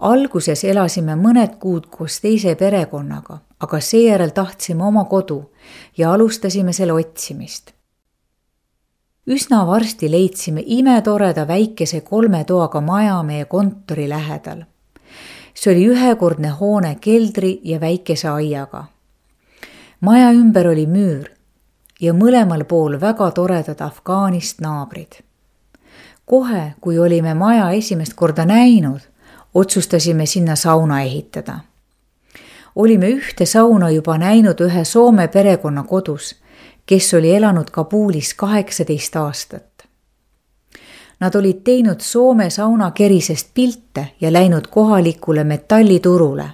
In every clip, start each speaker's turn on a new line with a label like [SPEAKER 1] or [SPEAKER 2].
[SPEAKER 1] Alguses elasime mõned kuud koos teise perekonnaga, aga seejärel tahtsime oma kodu ja alustasime selle otsimist. Üsna varsti leidsime imetoreda väikese 3 toaga maja meie kontori lähedal. See oli ühekordne hoone keldri ja väikese aiaga. Maja ümber oli müür ja mõlemal pool väga toredad Afgaanist naabrid. Kohe, kui olime maja esimest korda näinud, otsustasime sinna sauna ehitada. Olime ühte sauna juba näinud ühe Soome perekonna kodus, kes oli elanud Kabulis 18 aastat. Nad olid teinud Soome saunakerisest pilte ja läinud kohalikule metalliturule.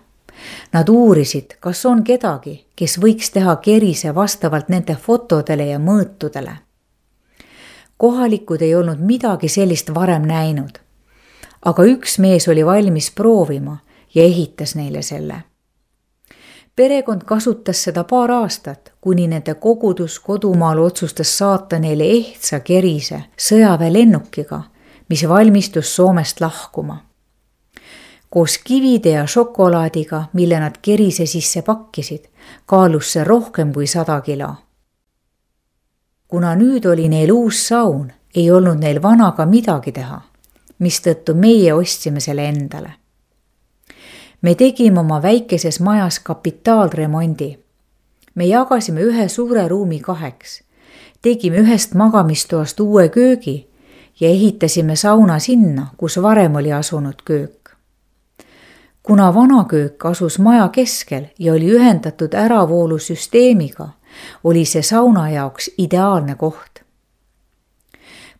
[SPEAKER 1] Nad uurisid, kas on kedagi, kes võiks teha kerise vastavalt nende fotodele ja mõõtudele. Kohalikud ei olnud midagi sellist varem näinud, aga üks mees oli valmis proovima ja ehitas neile selle. Perekond kasutas seda paar aastat, kuni nende kogudus kodumaal otsustas saata neile ehtsa kerise sõjaväelennukiga, mis valmistus Soomest lahkuma. Koos kivide ja šokolaadiga, mille nad kerise sisse pakkisid, kaalus see rohkem kui 100 kilo. Kuna nüüd oli neil uus saun, ei olnud neil vanaga midagi teha, mistõttu meie ostsime selle endale. Me tegime oma väikeses majas kapitaalremondi. Me jagasime ühe suure ruumi 2, tegime ühest magamistoast uue köögi ja ehitasime sauna sinna, kus varem oli asunud köök. Kuna vana köök asus maja keskel ja oli ühendatud äravoolusüsteemiga, oli see sauna jaoks ideaalne koht.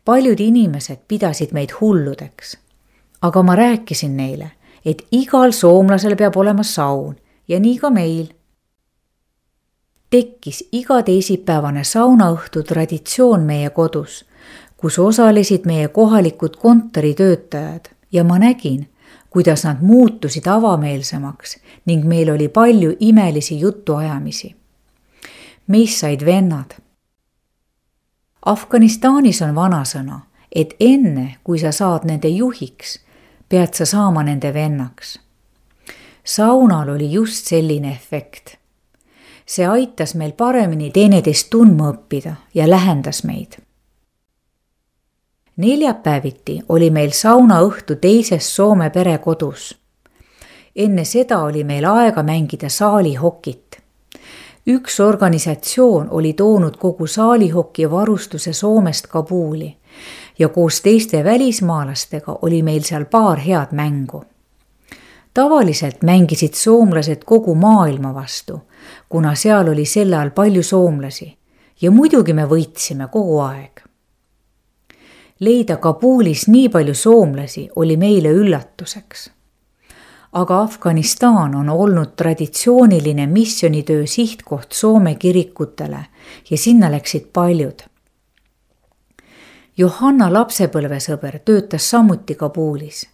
[SPEAKER 1] Paljud inimesed pidasid meid hulludeks, aga ma rääkisin neile, et igal soomlasel peab olema saun ja nii ka meil. Tekkis iga teisipäevane saunaõhtu traditsioon meie kodus, kus osalesid meie kohalikud kontoritöötajad ja ma nägin, kuidas nad muutusid avameelsemaks ning meil oli palju imelisi jutuajamisi. Meist said vennad. Afganistanis on vanasõna, et enne kui sa saad nende juhiks, pead sa saama nende vennaks. Saunal oli just selline efekt. See aitas meil paremini teineteist tundma õppida ja lähendas meid. Neljapäeviti oli meil saunaõhtu teises Soome perekodus. Enne seda oli meil aega mängida saalihokit. Üks organisatsioon oli toonud kogu saalihoki varustuse Soomest Kabuli ja koos teiste välismaalastega oli meil seal paar head mängu. Tavaliselt mängisid soomlased kogu maailma vastu, kuna seal oli sel ajal palju soomlasi ja muidugi me võitsime kogu aeg. Leida Kabulis nii palju soomlasi oli meile üllatuseks. Aga Afganistan on olnud traditsiooniline missionitöö sihtkoht Soome kirikutele ja sinna läksid paljud. Johanna lapsepõlvesõber töötas samuti Kabulis.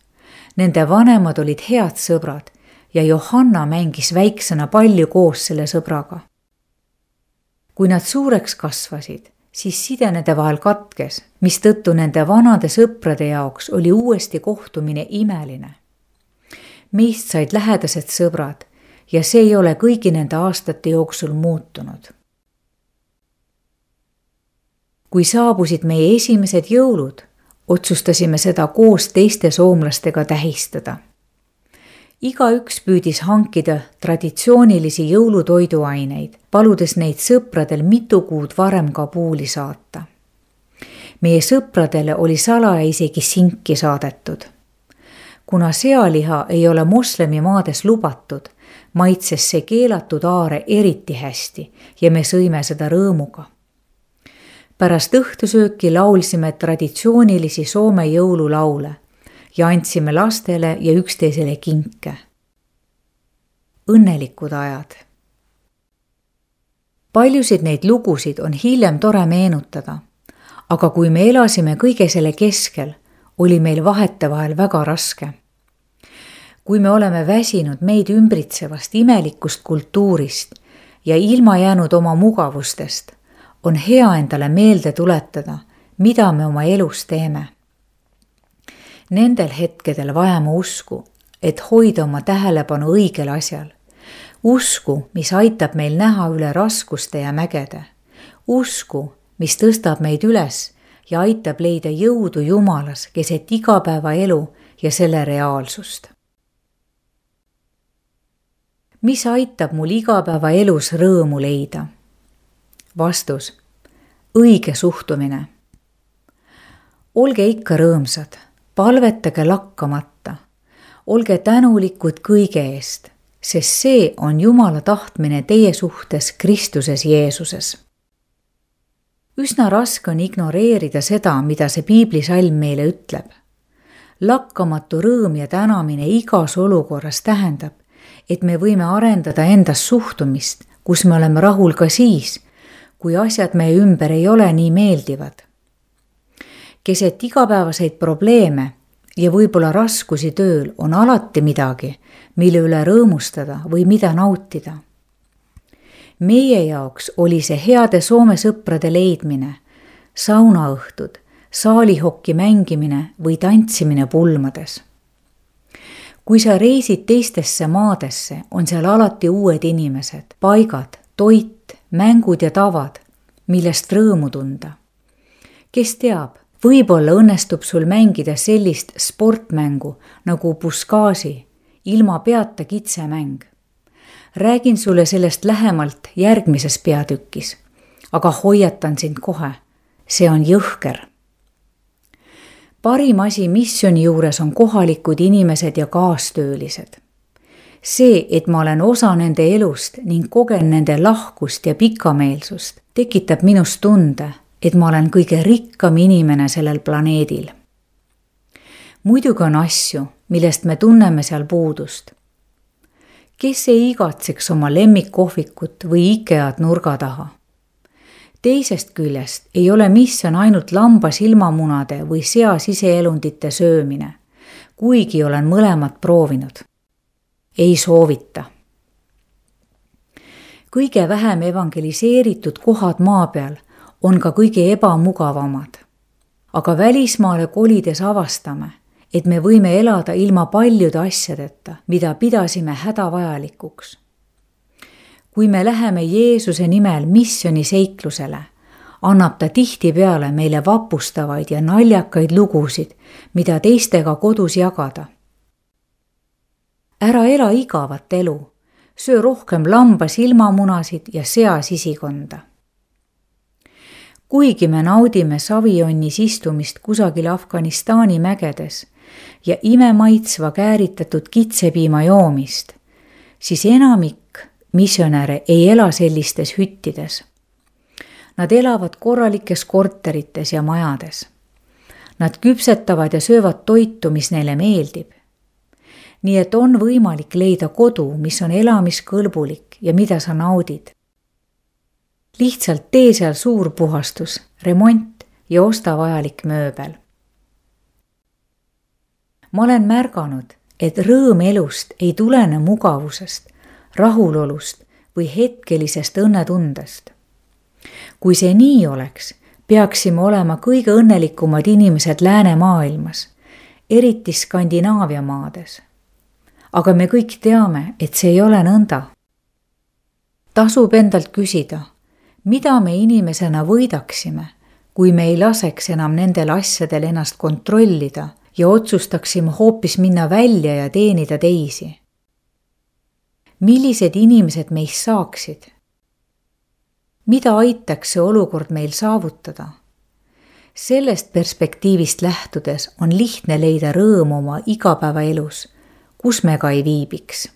[SPEAKER 1] Nende vanemad olid head sõbrad ja Johanna mängis väiksena palju koos selle sõbraga. Kui nad suureks kasvasid, siis side nende vahel katkes, mistõttu nende vanade sõprade jaoks oli uuesti kohtumine imeline. Meist said lähedased sõbrad ja see ei ole kõigi nende aastate jooksul muutunud. Kui saabusid meie esimesed jõulud, otsustasime seda koos teiste soomlastega tähistada. Igaüks püüdis hankida traditsioonilisi jõulutoiduaineid, paludes neid sõpradel mitu kuud varem Kabuli saata. Meie sõpradele oli salaja isegi sinki saadetud. Kuna sealiha ei ole moslemi maades lubatud, maitses see keelatud aare eriti hästi ja me sõime seda rõõmuga. Pärast õhtusööki laulsime traditsioonilisi Soome jõululaule ja andsime lastele ja üksteisele kinke. Õnnelikud ajad. Paljusid neid lugusid on hiljem tore meenutada, aga kui me elasime kõige selle keskel, oli meil vahetevahel väga raske. Kui me oleme väsinud meid ümbritsevast imelikust kultuurist ja ilma jäänud oma mugavustest, on hea endale meelde tuletada, mida me oma elus teeme. Nendel hetkedel vajame usku, et hoida oma tähelepanu õigel asjal. Usku, mis aitab meil näha üle raskuste ja mägede. Usku, mis tõstab meid üles ja aitab leida jõudu Jumalas keset igapäevaelu ja selle reaalsust. Mis aitab mul igapäevaelus rõõmu leida? Vastus. Õige suhtumine. Olge ikka rõõmsad, palvetage lakkamata, olge tänulikud kõige eest, sest see on Jumala tahtmine teie suhtes Kristuses Jeesuses. Üsna raske on ignoreerida seda, mida see piiblisalm meile ütleb. Lakkamatu rõõm ja tänamine igas olukorras tähendab, et me võime arendada endas suhtumist, kus me oleme rahul ka siis, kui asjad meie ümber ei ole nii meeldivad. Keset igapäevaseid probleeme ja võib-olla raskusi tööl on alati midagi, mille üle rõõmustada või mida nautida. Meie jaoks oli see heade Soome sõprade leidmine, saunaõhtud, saalihokki mängimine või tantsimine pulmades. Kui sa reisid teistesse maadesse, on seal alati uued inimesed, paigad, toit, mängud ja tavad, millest rõõmu tunda. Kes teab, võib-olla õnnestub sul mängida sellist sportmängu nagu puskaasi, ilma peata kitsemäng. Räägin sulle sellest lähemalt järgmises peatükis, aga hoiatan sind kohe, see on jõhker. Parim asi missiooni juures on kohalikud inimesed ja kaastöölised. See, et ma olen osa nende elust ning kogen nende lahkust ja pikameelsust, tekitab minust tunde, et ma olen kõige rikkam inimene sellel planeedil. Muidugi on asju, millest me tunneme seal puudust. Kes ei igatseks oma lemmikkohvikut või Ikead nurga taha? Teisest küljest ei ole missioon ainult lamba silmamunade või sea siseelundite söömine, kuigi olen mõlemat proovinud. Ei soovita. Kõige vähem evangeliseeritud kohad maa peal on ka kõige ebamugavamad. Aga välismaale kolides avastame, et me võime elada ilma paljude asjadeta, mida pidasime hädavajalikuks. Kui me läheme Jeesuse nimel missioniseiklusele, annab ta tihtipeale meile vapustavaid ja naljakaid lugusid, mida teistega kodus jagada. Ära ela igavat elu, söö rohkem lamba silmamunasid ja sea sisikonda. Kuigi me naudime Savionnis istumist kusagil Afganistani mägedes ja imemaitsva kääritatud kitsepiima joomist, siis enamik missionäre ei ela sellistes hüttides. Nad elavad korralikes korterites ja majades. Nad küpsetavad ja söövad toitu, mis neile meeldib. Nii et on võimalik leida kodu, mis on elamiskõlbulik ja mida sa naudid. Lihtsalt tee seal suur puhastus, remont ja osta vajalik mööbel. Ma olen märganud, et rõõm elust ei tulene mugavusest, rahulolust või hetkelisest õnnetundest. Kui see nii oleks, peaksime olema kõige õnnelikumad inimesed läänemaailmas, eriti Skandinaavia maades. Aga me kõik teame, et see ei ole nõnda. Tasub endalt küsida, mida me inimesena võidaksime, kui me ei laseks enam nendel asjadel ennast kontrollida ja otsustaksime hoopis minna välja ja teenida teisi. Millised inimesed meist saaksid? Mida aitaks see olukord meil saavutada? Sellest perspektiivist lähtudes on lihtne leida rõõmu oma igapäevaelus, kus me ka ei viibiks.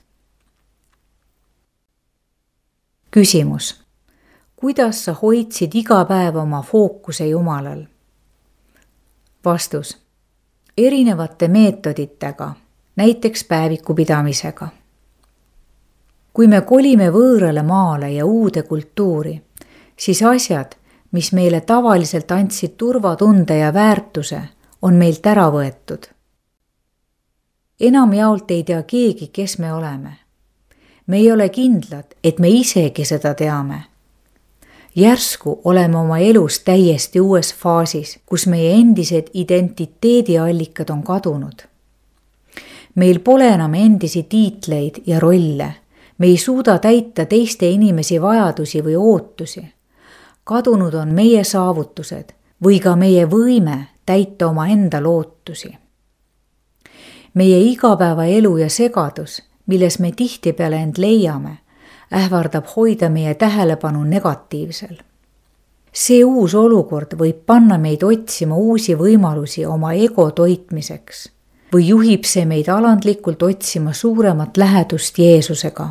[SPEAKER 1] Küsimus. Kuidas sa hoidsid iga päev oma fookuse Jumalal? Vastus. Erinevate meetoditega, näiteks päeviku pidamisega. Kui me kolime võõrale maale ja uude kultuuri, siis asjad, mis meile tavaliselt andsid turvatunde ja väärtuse, on meilt ära võetud. Enamjaolt ei tea keegi, kes me oleme. Me ei ole kindlad, et me isegi seda teame. Järsku oleme oma elus täiesti uues faasis, kus meie endised identiteediallikad on kadunud. meil pole enam endisi tiitleid ja rolle. Me ei suuda täita teiste inimesi vajadusi või ootusi. Kadunud on meie saavutused või ka meie võime täita oma enda lootusi. Meie igapäevaelu ja segadus, milles me tihtipeale end leiame, ähvardab hoida meie tähelepanu negatiivsel. See uus olukord võib panna meid otsima uusi võimalusi oma ego toitmiseks või juhib see meid alandlikult otsima suuremat lähedust Jeesusega.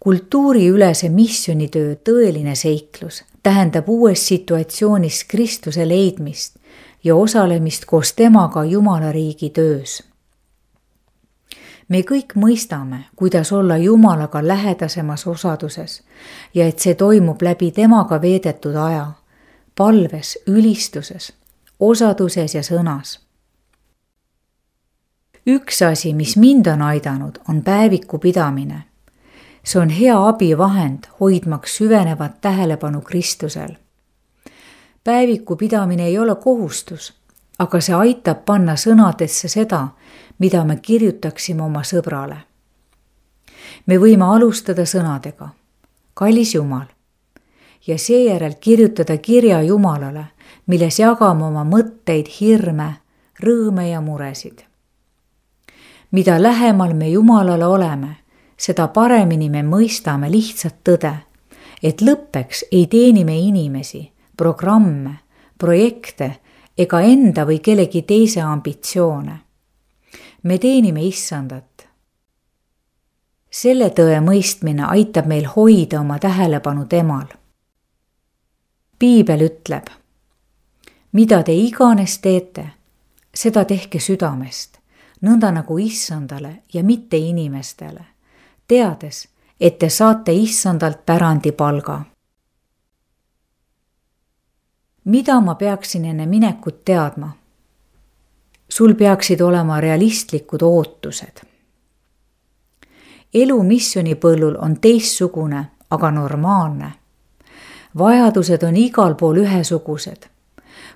[SPEAKER 1] Kultuuriülese missionitöö tõeline seiklus tähendab uues situatsioonis Kristuse leidmist ja osalemist koos temaga Jumala riigi töös. Me kõik mõistame, kuidas olla Jumalaga lähedasemas osaduses ja et see toimub läbi temaga veedetud aja, palves, ülistuses, osaduses ja sõnas. Üks asi, mis mind on aidanud, on päeviku pidamine. See on hea abivahend hoidmaks süvenevat tähelepanu Kristusel. Päeviku pidamine ei ole kohustus, aga see aitab panna sõnadesse seda, mida me kirjutaksime oma sõbrale. Me võime alustada sõnadega, kallis Jumal, ja seejärel kirjutada kirja Jumalale, milles jagame oma mõtteid, hirme, rõõme ja muresid. Mida lähemal me Jumalale oleme, seda paremini me mõistame lihtsat tõde, et lõppeks ei teeni me inimesi, programme, projekte ega enda või kellegi teise ambitsioone. Me teenime Issandat. Selle tõe mõistmine aitab meil hoida oma tähelepanu temal. Piibel ütleb, mida te iganes teete, seda tehke südamest, nõnda nagu Issandale ja mitte inimestele, teades, et te saate Issandalt pärandi palga. Mida ma peaksin enne minekut teadma? Sul peaksid olema realistlikud ootused. Elu missionipõllul on teistsugune, aga normaalne. Vajadused on igal pool ühesugused.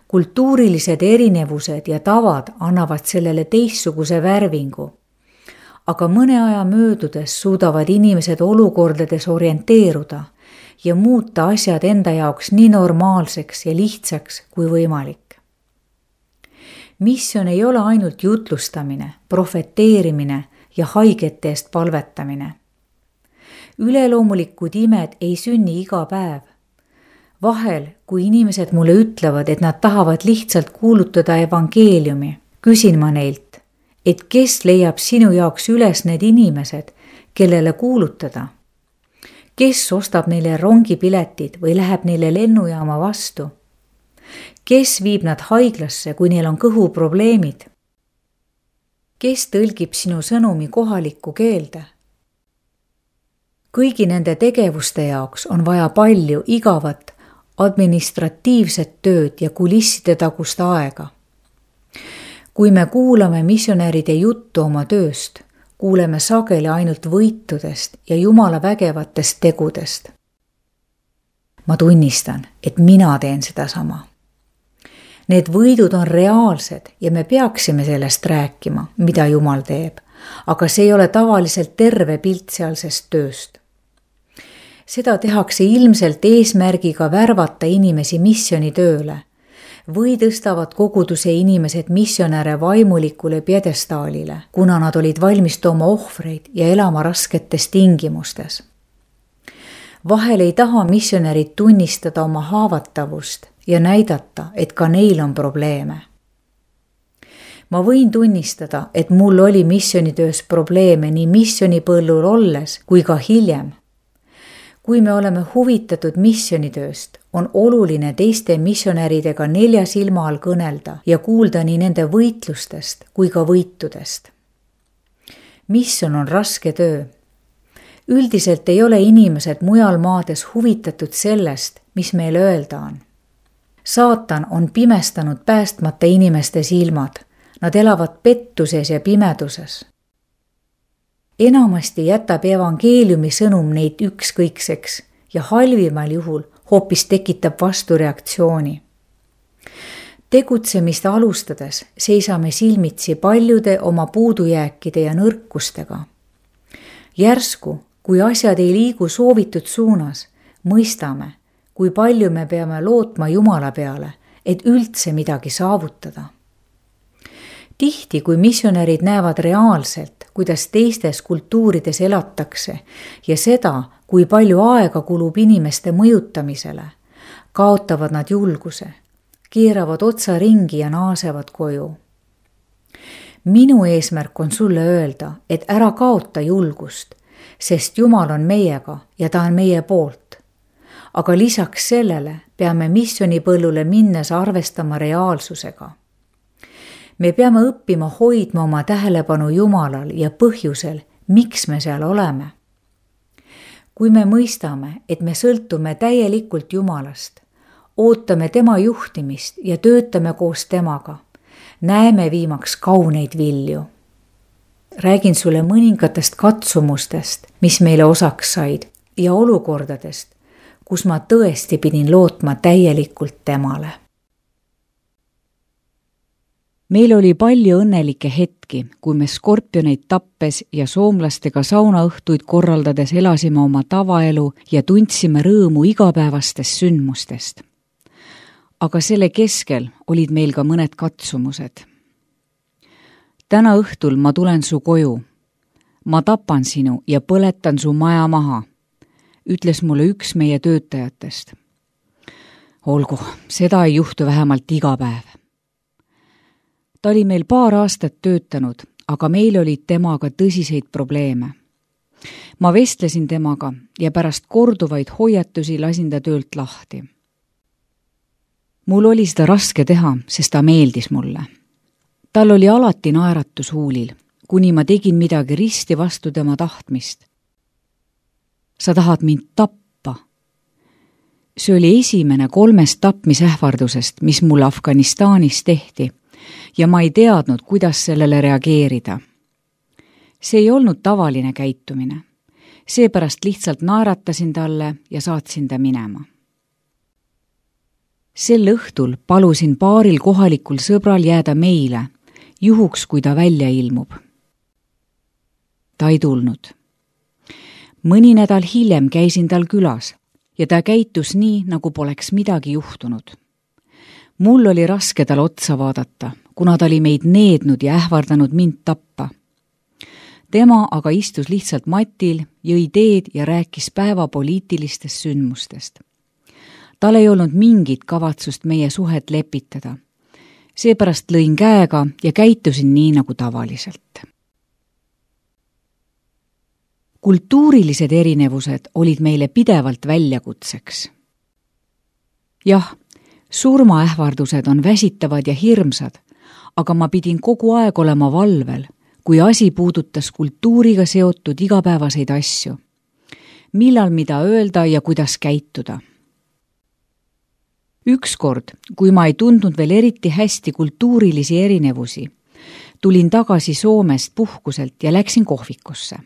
[SPEAKER 1] Kultuurilised erinevused ja tavad annavad sellele teistsuguse värvingu. Aga mõne aja möödudes suudavad inimesed olukordades orienteeruda ja muuta asjad enda jaoks nii normaalseks ja lihtsaks kui võimalik. Missioon ei ole ainult jutlustamine, profeteerimine ja haigete eest palvetamine. Üleloomulikud imed ei sünni iga päev. Vahel, kui inimesed mulle ütlevad, et nad tahavad lihtsalt kuulutada evangeeliumi, küsin ma neilt, et kes leiab sinu jaoks üles need inimesed, kellele kuulutada? Kes ostab neile rongipiletid või läheb neile lennujaama vastu? Kes viib nad haiglasse, kui neil on kõhuprobleemid? Kes tõlgib sinu sõnumi kohalikku keelde? Kõigi nende tegevuste jaoks on vaja palju igavat administratiivset tööd ja kulisside tagust aega. Kui me kuulame missionäride juttu oma tööst, kuuleme sageli ainult võitudest ja Jumala vägevatest tegudest. Ma tunnistan, et mina teen seda sama. Need võidud on reaalsed ja me peaksime sellest rääkima, mida Jumal teeb, aga see ei ole tavaliselt terve pilt sealsest tööst. Seda tehakse ilmselt eesmärgiga värvata inimesi missionitööle või tõstavad koguduse inimesed missionäre vaimulikule pjedestaalile, kuna nad olid valmis tooma ohvreid ja elama rasketes tingimustes. Vahel ei taha missionärid tunnistada oma haavatavust ja näidata, et ka neil on probleeme. Ma võin tunnistada, et mul oli missionitöös probleeme nii missionipõllul olles kui ka hiljem. Kui me oleme huvitatud missionitööst, on oluline teiste missionäridega 4 silma all kõnelda ja kuulda nii nende võitlustest kui ka võitudest. Mission on raske töö. Üldiselt ei ole inimesed mujal maades huvitatud sellest, mis meil öelda on. Saatan on pimestanud päästmata inimeste silmad. Nad elavad pettuses ja pimeduses. Enamasti jätab evangeeliumi sõnum neid ükskõikseks ja halvimal juhul hoopis tekitab vastureaktsiooni. Tegutsemist alustades seisame silmitsi paljude oma puudujääkide ja nõrkustega. Järsku, kui asjad ei liigu soovitud suunas, mõistame, kui palju me peame lootma Jumala peale, et üldse midagi saavutada. Tihti, kui missionärid näevad reaalselt, kuidas teistes kultuurides elatakse ja seda, kui palju aega kulub inimeste mõjutamisele, kaotavad nad julguse, keeravad otsa ringi ja naasevad koju. Minu eesmärk on sulle öelda, et ära kaota julgust, sest Jumal on meiega ja ta on meie poolt. Aga lisaks sellele peame missionipõllule minnes arvestama reaalsusega. Me peame õppima hoidma oma tähelepanu Jumalal ja põhjusel, miks me seal oleme. Kui me mõistame, et me sõltume täielikult Jumalast, ootame tema juhtimist ja töötame koos temaga, näeme viimaks kauneid vilju. Räägin sulle mõningatest katsumustest, mis meile osaks said ja olukordadest, kus ma tõesti pidin lootma täielikult temale. Meil oli palju õnnelikke hetki, kui me skorpioneid tappes ja soomlastega saunaõhtuid korraldades elasime oma tavaelu ja tundsime rõõmu igapäevastest sündmustest. Aga selle keskel olid meil ka mõned katsumused. Täna õhtul ma tulen su koju. Ma tapan sinu ja põletan su maja maha, ütles mulle üks meie töötajatest. Olgu, seda ei juhtu vähemalt iga päev. Ta oli meil paar aastat töötanud, aga meil olid temaga tõsiseid probleeme. Ma vestlesin temaga ja pärast korduvaid hoiatusi lasin ta töölt lahti. Mul oli seda raske teha, sest ta meeldis mulle. Tal oli alati naeratus huulil, kuni ma tegin midagi risti vastu tema tahtmist. Sa tahad mind tappa. See oli esimene 3 tapmisähvardusest, mis mulle Afganistanis tehti ja ma ei teadnud, kuidas sellele reageerida. See ei olnud tavaline käitumine. Seepärast lihtsalt naeratasin talle ja saatsin ta minema. Sel õhtul palusin paaril kohalikul sõbral jääda meile, juhuks kui ta välja ilmub. Ta ei tulnud. Mõni nädal hiljem käisin tal külas ja ta käitus nii, nagu poleks midagi juhtunud. Mul oli raske tal otsa vaadata, kuna ta oli meid neednud ja ähvardanud mind tappa. Tema aga istus lihtsalt matil, jõi teed ja rääkis päeva poliitilistest sündmustest. Tal ei olnud mingit kavatsust meie suhet lepitada. Seepärast lõin käega ja käitusin nii nagu tavaliselt. Kultuurilised erinevused olid meile pidevalt väljakutseks. Jah, surmaähvardused on väsitavad ja hirmsad, aga ma pidin kogu aeg olema valvel, kui asi puudutas kultuuriga seotud igapäevaseid asju. Millal mida öelda ja kuidas käituda. Ükskord, kui ma ei tundnud veel eriti hästi kultuurilisi erinevusi, tulin tagasi Soomest puhkuselt ja läksin kohvikusse.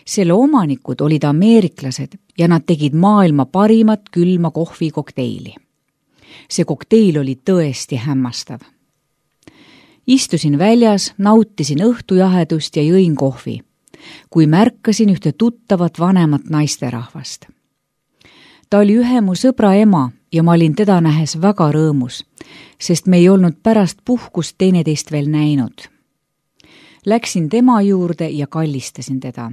[SPEAKER 1] Selle omanikud olid ameeriklased ja nad tegid maailma parimat külma kohvikokteili. See kokteil oli tõesti hämmastav. Istusin väljas, nautisin õhtujahedust ja jõin kohvi, kui märkasin ühte tuttavat vanemat naisterahvast. Ta oli ühe mu sõbra ema ja ma olin teda nähes väga rõõmus, sest me ei olnud pärast puhkust teineteist veel näinud. Läksin tema juurde ja kallistasin teda.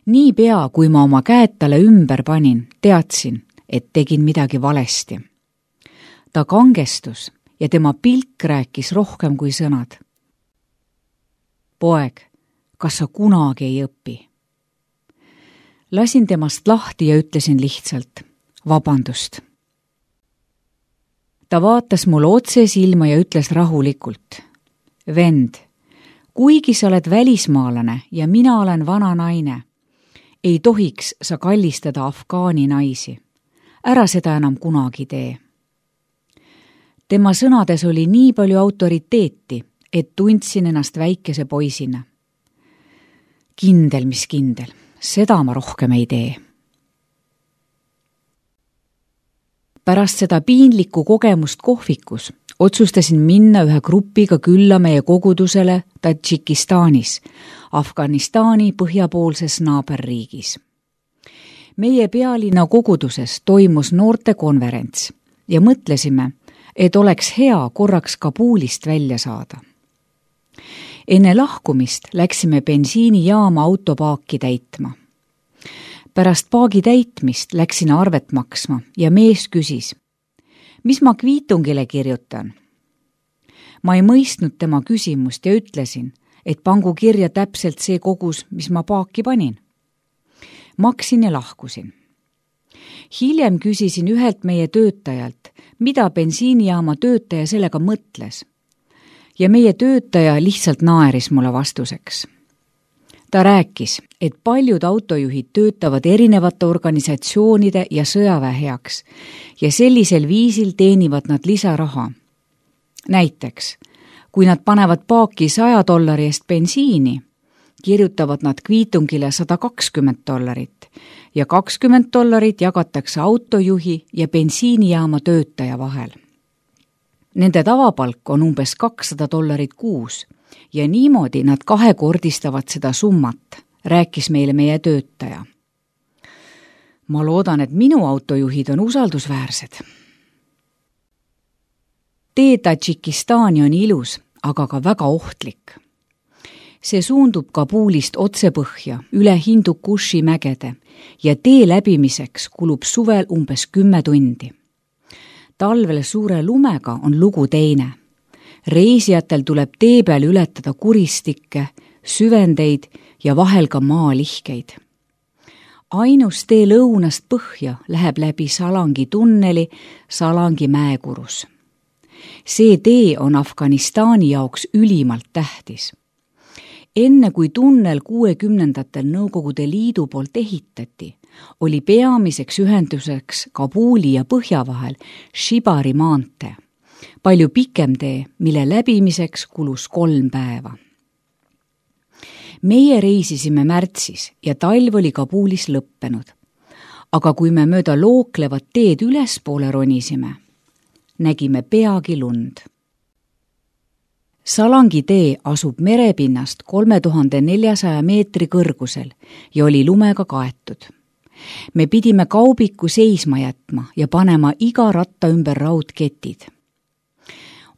[SPEAKER 1] Niipea, kui ma oma käed talle ümber panin, teadsin, et tegin midagi valesti. Ta kangestus ja tema pilk rääkis rohkem kui sõnad. Poeg, kas sa kunagi ei õpi? Lasin temast lahti ja ütlesin lihtsalt, vabandust. Ta vaatas mulle otse silma ja ütles rahulikult, vend, kuigi sa oled välismaalane ja mina olen vana naine, ei tohiks sa kallistada afgaani naisi. Ära seda enam kunagi tee. Tema sõnades oli nii palju autoriteeti, et tundsin ennast väikese poisina. Kindel, mis kindel, seda ma rohkem ei tee. Pärast seda piinlikku kogemust kohvikus otsustasin minna ühe grupiga külla meie kogudusele Tadžikistanis, Afganistani põhjapoolses naaberriigis. Meie pealinna koguduses toimus noortekonverents ja mõtlesime, et oleks hea korraks Kabulist välja saada. Enne lahkumist läksime bensiinijaama autopaaki täitma. Pärast paagi täitmist läksin arvet maksma ja mees küsis, mis ma kviitungile kirjutan. Ma ei mõistnud tema küsimust ja ütlesin, et pangu kirja täpselt see kogus, mis ma paaki panin. Maksin ja lahkusin. Hiljem küsisin ühelt meie töötajalt, mida bensiinijaama töötaja sellega mõtles. Ja meie töötaja lihtsalt naeris mulle vastuseks. Ta rääkis, et paljud autojuhid töötavad erinevate organisatsioonide ja sõjaväe heaks ja sellisel viisil teenivad nad lisaraha. Näiteks, kui nad panevad paaki $100 eest bensiini, kirjutavad nad kviitungile $120 ja $20 jagatakse autojuhi ja bensiinijaama töötaja vahel. Nende tavapalk on umbes $200 kuus ja niimoodi nad kahekordistavad seda summat, rääkis meile meie töötaja. Ma loodan, et minu autojuhid on usaldusväärsed. Tee Tadžikistani on ilus, aga ka väga ohtlik. See suundub Kabulist otsepõhja üle Hindukuši mägede ja tee läbimiseks kulub suvel umbes 10 tundi. Talvel suure lumega on lugu teine. Reisijatel tuleb tee peal ületada kuristikke, süvendeid ja vahel ka maalihkeid. Ainus tee lõunast põhja läheb läbi Salangi tunneli Salangi mäekurus. See tee on Afganistani jaoks ülimalt tähtis. Enne kui tunnel 60ndatel Nõukogude Liidu poolt ehitati, oli peamiseks ühenduseks Kabuli ja põhja vahel Shibari maantee, palju pikem tee, mille läbimiseks kulus 3 päeva. Meie reisisime märtsis ja talv oli Kabulis lõppenud, aga kui me mööda looklevat teed ülespoole ronisime, nägime peagi lund. Salangi tee asub merepinnast 3400 meetri kõrgusel ja oli lumega kaetud. Me pidime kaubiku seisma jätma ja panema iga ratta ümber raudketid.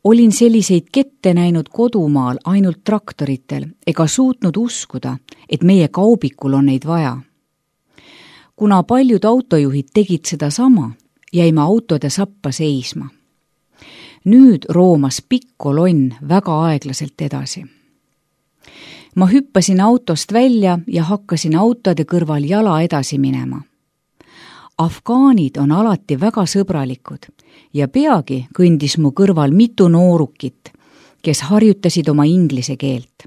[SPEAKER 1] Olin selliseid kette näinud kodumaal ainult traktoritel ega suutnud uskuda, et meie kaubikul on neid vaja. Kuna paljud autojuhid tegid seda sama, jäime autode sappa seisma. Nüüd roomas pikk kolonn väga aeglaselt edasi. Ma hüppasin autost välja ja hakkasin autode kõrval jala edasi minema. Afgaanid on alati väga sõbralikud ja peagi kõndis mu kõrval mitu noorukit, kes harjutasid oma inglise keelt.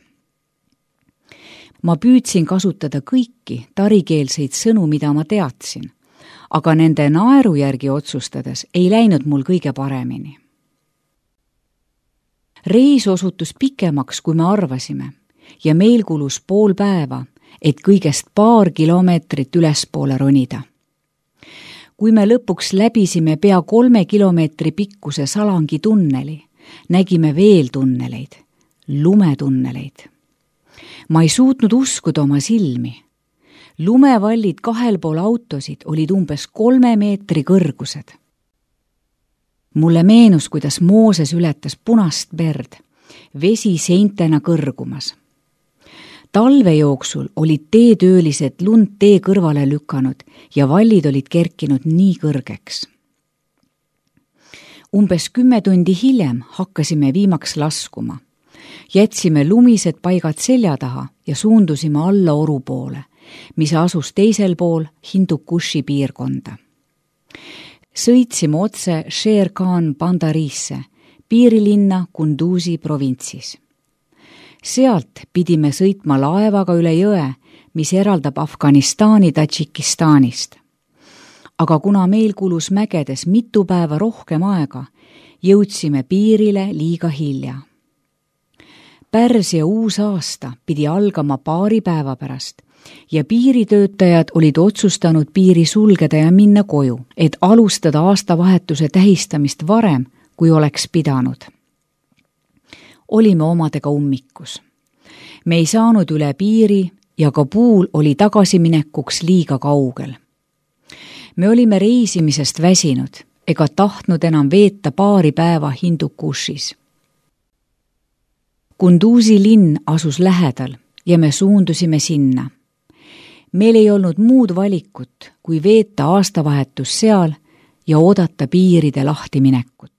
[SPEAKER 1] Ma püüdsin kasutada kõiki tarikeelseid sõnu, mida ma teadsin, aga nende naeru järgi otsustades ei läinud mul kõige paremini. Reis osutus pikemaks, kui me arvasime, ja meil kulus pool päeva, et kõigest paar kilomeetrit ülespoole ronida. Kui me lõpuks läbisime pea 3 kilomeetri pikkuse Salangi tunneli, nägime veel tunneleid, lumetunneleid. Ma ei suutnud uskuda oma silmi. Lumevallid 2 pool autosid olid umbes 3 meetri kõrgused. Mulle meenus, kuidas Mooses ületas punast verd, vesi seintena kõrgumas. Talve jooksul olid teetöölised lund tee kõrvale lükanud ja vallid olid kerkinud nii kõrgeks. Umbes 10 tundi hiljem hakkasime viimaks laskuma. Jätsime lumised paigad selja taha ja suundusime alla oru poole, mis asus teisel pool Hindukuši piirkonda. Sõitsime otse Sher Khan Bandariisse, piirilinna Kunduzi provintsis. Sealt pidime sõitma laevaga üle jõe, mis eraldab Afganistani Tadžikistanist. Aga kuna meil kulus mägedes mitu päeva rohkem aega, jõudsime piirile liiga hilja. Pärsia uus aasta pidi algama paari päeva pärast ja piiritöötajad olid otsustanud piiri sulgeda ja minna koju, et alustada aastavahetuse tähistamist varem, kui oleks pidanud. Olime omadega ummikus. Me ei saanud üle piiri ja Kabul oli tagasiminekuks liiga kaugel. Me olime reisimisest väsinud ega tahtnud enam veeta paari päeva Hindukushis. Kunduzi linn asus lähedal ja me suundusime sinna. Meil ei olnud muud valikut, kui veeta aastavahetus seal ja oodata piiride lahtiminekut.